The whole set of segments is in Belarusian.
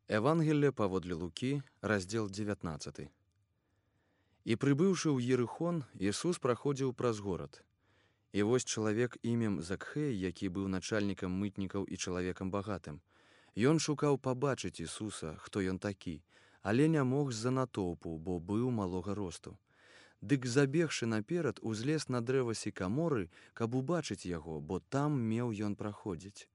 Евангелие паводле Лукі, раздзел 19. І прыбыўшы ў Ерыхон, Ісус праходзіў праз горад. І вось чалавек імем Закхэй, які быў начальнікам мытнікаў і чалавекам багатым. Ён шукаў пабачыць Ісуса, хто ён такі, але не мог з-за натоўпу, бо быў малога росту. Дык забегшы наперад, узлез на дрэва сікаморы, каб убачыць яго, бо там меў ён праходзіць.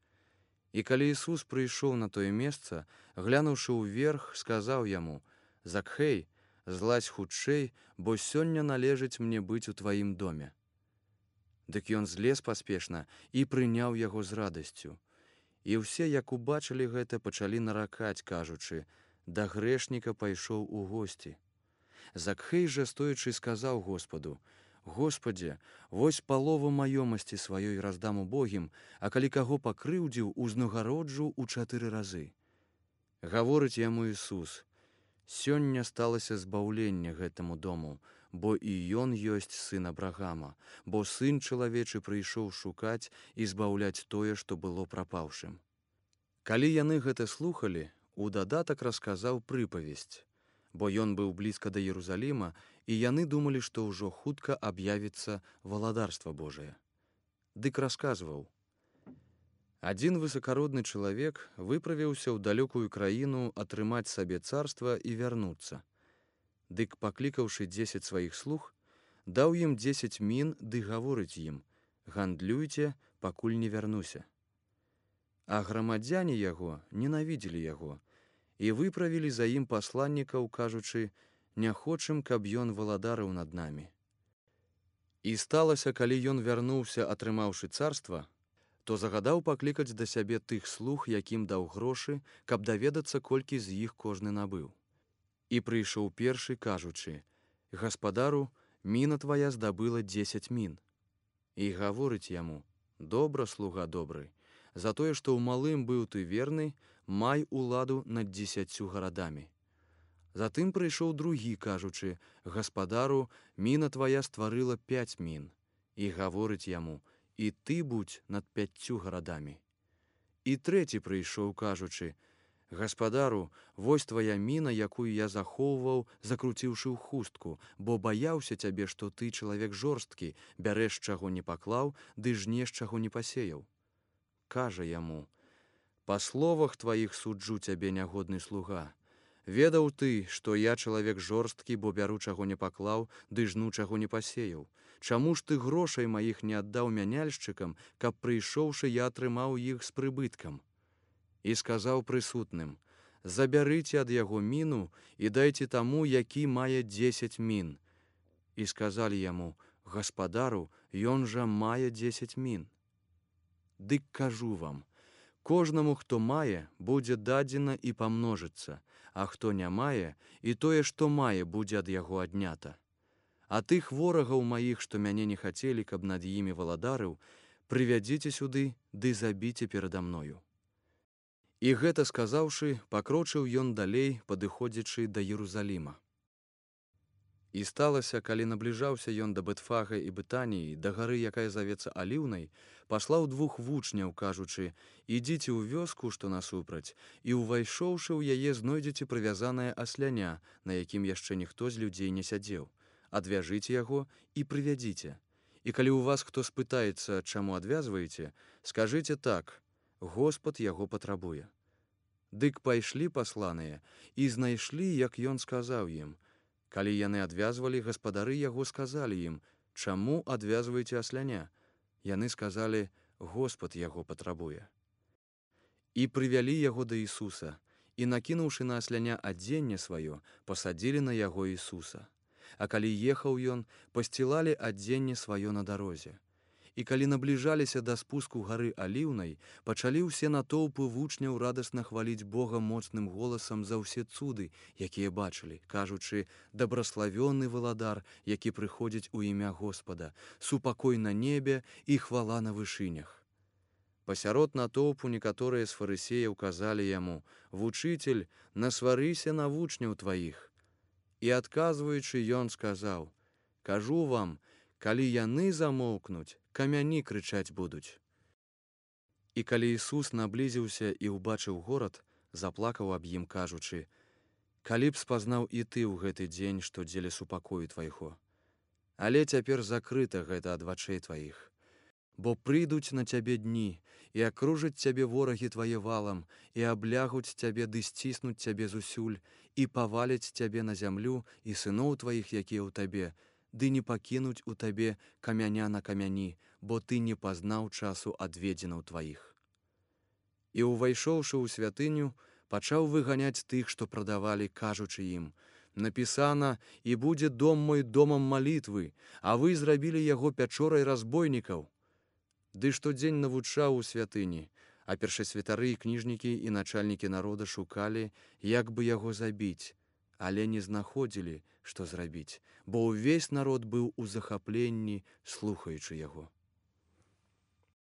І калі Ісус прыйшоў на тое месца, глянуўшы ўверх, сказаў яму: «Закхэй, злазь хутчэй, бо сёння належыць мне быць у тваім доме». Дык ён злез паспешна і прыняў яго з радасцю. І ўсе, як убачылі гэта, пачалі наракаць, кажучы: «Да грэшніка пайшоў у госці». Закхэй жа, стоячы, сказаў Господу: «Господзе, вось палову маёмасці сваёй раздам убогім, а калі каго пакрыўдзіў, узнагароджу ў 4 разы». Гаворыць яму Ісус: «Сёння сталася збаўленне гэтаму дому, бо і ён ёсць сын Абрагама, бо сын чалавечы прыйшоў шукаць і збаўляць тое, што было прапаўшым». Калі яны гэта слухалі, у дадатак расказаў прыпавесць, бо ён быў блізка да Єрусаліма, і яны думалі, што ўжо хутка аб'явіцца валадарства Божае. Дык расказваў: «Адзін высакародны чалавек выправіўся ў далёкую краіну атрымаць сабе царства і вярнуцца. Дык, паклікаўшы 10 сваіх слуг, даў ім 10 мін ды гаворыць ім: «Гандлюйце, пакуль не вярнуся». А грамадзяне яго ненавідзелі яго і выправілі за ім пасланнікаў, кажучы: «Не хочам, каб ён валадарыў над намі». І сталася, калі ён вярнуўся, атрымаўшы царства, то загадаў паклікаць да сябе тых слуг, якім даў грошы, каб даведацца, колькі з іх кожны набыў. І прыйшоў першы, кажучы: «Гаспадару, міна твая здабыла 10 мін». І гаворыць яму: «Добра, слуга добры, за тое, што ў малым быў ты верны, май уладу над 10 гарадамі». Затым прыйшоў другі, кажучы: «Гаспадару, міна твая стварыла 5 мін». І гаворыць яму: «І ты будзь над 5 гарадамі». І трэці прыйшоў, кажучы: «Гаспадару, вось твая міна, якую я захоўваў, закруціўшы ў хустку, бо баяўся цябе, што ты чалавек жорсткі, бярэш, чаго не паклаў, ды жнеш, чаго не пасеяў». Кажа яму: «Па словах тваіх суджу цябе, нягодны слуга. Ведаў ты, што я чалавек жорсткі, бо бяру, чаго не паклаў, ды жну, чаго не пасеяў. Чаму ж ты грошай маіх не аддаў мяняльшчыкам, каб, прыйшоўшы, я атрымаў іх з прыбыткам?» І сказаў прысутным: «Забярыце ад яго міну і дайце таму, які мае 10 мін». І сказалі яму: «Гаспадару, ён жа мае 10 мін». Дык кажу вам, кожнаму, хто мае, будзе дадзена і памножыцца, а хто не мае, і тое, што мае, будзе ад яго аднята. А тых ворагаў маіх, што мяне не хацелі, каб над імі валадарыў, прывядзіце сюды, ды забіце перада мною». І гэта сказаўшы, пакрочыў ён далей, падыходзячы да Єрусаліма. І сталася, калі набліжаўся ён да Бетфага і Бетаніі, да гары, якая завецца Аліўнай, паслаў 2 вучняў, кажучы: «Ідзіце ў вёску, што насупраць, і, увайшоўшы ў яе, знойдзеце прывязанае асляня, на якім яшчэ ніхто з людзей не сядзеў. Адвяжыце яго і прывядзіце. І калі ў вас хто спытаецца, чаму адвязваеце, скажыце так: Господ яго патрабуе». Дык пайшлі пасланыя і знайшлі, як ён сказаў ім. Калі яны адвязвалі, гаспадары яго сказалі ім: «Чаму адвязваеце асляня?» Яны сказалі: «Господ яго патрабуе». І прывялі яго да Ісуса, і, накінуўшы на асляня адзенне сваё, пасадзілі на яго Ісуса. А калі ехаў ён, пасцілалі адзенне сваё на дарозе. І калі набліжаліся да спуску гары Аліўнай, пачалі ўсе натоўпы вучняў радасна хваліць Бога моцным голасам за ўсе цуды, якія бачылі, кажучы: «Дабраславённы валадар, які прыходзіць у імя Господа, супакой на небе і хвала на вышынях». Пасярод натоўпу некаторыя з фарысеяў казалі яму: «Вучыцель, насварыся на вучняў тваіх». І адказваючы, ён сказаў: «Кажу вам, калі яны замоўкнуць, камяні крычаць будуць». І калі Ісус наблізіўся і ўбачыў горад, заплакаў аб ім, кажучы: «Калі б спазнаў і ты ў гэты дзень, што дзеля супакою твайго. Але цяпер закрыта гэта ад вачэй тваіх. Бо прыйдуць на цябе дні, і акружаць цябе ворагі твае валам, і аблягуць цябе ды сціснуць цябе зусюль, і паваляць цябе на зямлю і сыноў тваіх, якія ў табе, ды не пакінуць у табе камяня на камяні, бо ты не пазнаў часу адведзенаў тваіх». І, увайшоўшы ў святыню, пачаў выганяць тых, што прадавалі, кажучы ім: «Напісана, і будзе дом мой домам малітвы, а вы зрабілі яго пячорай разбойнікаў». Ды штодзень навучаў у святыні, а першасвятары і кніжнікі і начальнікі народа шукалі, як бы яго забіць, але не знаходзілі, што зрабіць, бо ўвесь народ быў у захапленні, слухаючы яго.